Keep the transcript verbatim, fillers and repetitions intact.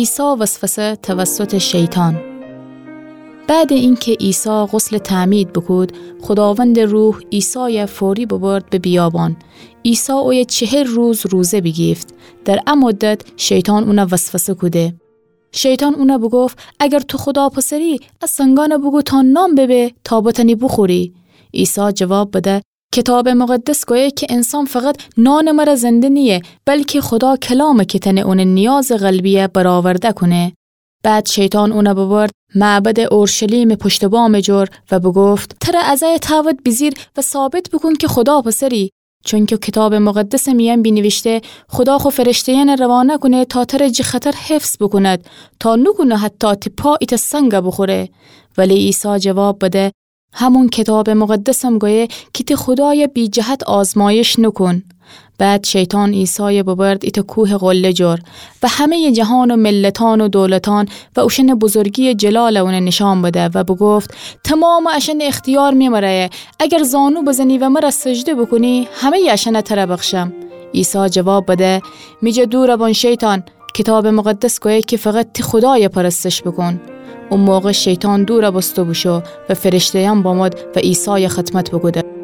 عیسی وسوسه توسط شیطان. بعد اینکه عیسی غسل تعمید بوکود، خداوند روح عیسای فوری ببرد به بیابان. عیسی اویه چهل روز روزه بیگیفت. در ا مدت شیطان اونه وسوسه کوده. شیطان اونه بوگفت: اگر تو خدا پسری، ا سنگانه بوگو تا نان ببه تا بتانی بوخوری. عیسی جواب بده: کتاب مقدس گویه که انسان فقط نان مره زنده نییه، بلکه خدا کلامه که تنه اونه نیاز قلبیه برآورده کونه. بعد شیطان اونه ببرد معبد اورشلیم پشت بام جور و بگفت: تره از ای تاوت بیجیر و ثابت بوکون که خدا پسری. چونکه کتاب مقدس میان بینیویشته: خدا خو فرشته‌یانه روانه کونه تا تره جی خطر حفظ بوکوند، تا نوکونه حتی تی پا ایته سنگه بوخوره. ولی عیسی جواب بده: همون کتاب مقدسم گویه که تی خدای بی جهت آزمایش نوکون. بعد شیطان عیسای ببرد ایته کوه قله جور و همه‌ی جهان و ملتان و دولتان و اوشن بزرگی جلال اونه نشان بده و بگفت: تمام اشن اختیار می مره، اگر زانو بزنی و مره سجده بوکونی، همه‌ی اشن تره بخشم. عیسی جواب بده: می جا دور بون شیطان، کتاب مقدس گویه که فقط تی خدای پرستش بوکون. او موقع شیطان دور بوسته بوشو و فرشته‌یان بامد و عیسای خدمت بوکوده.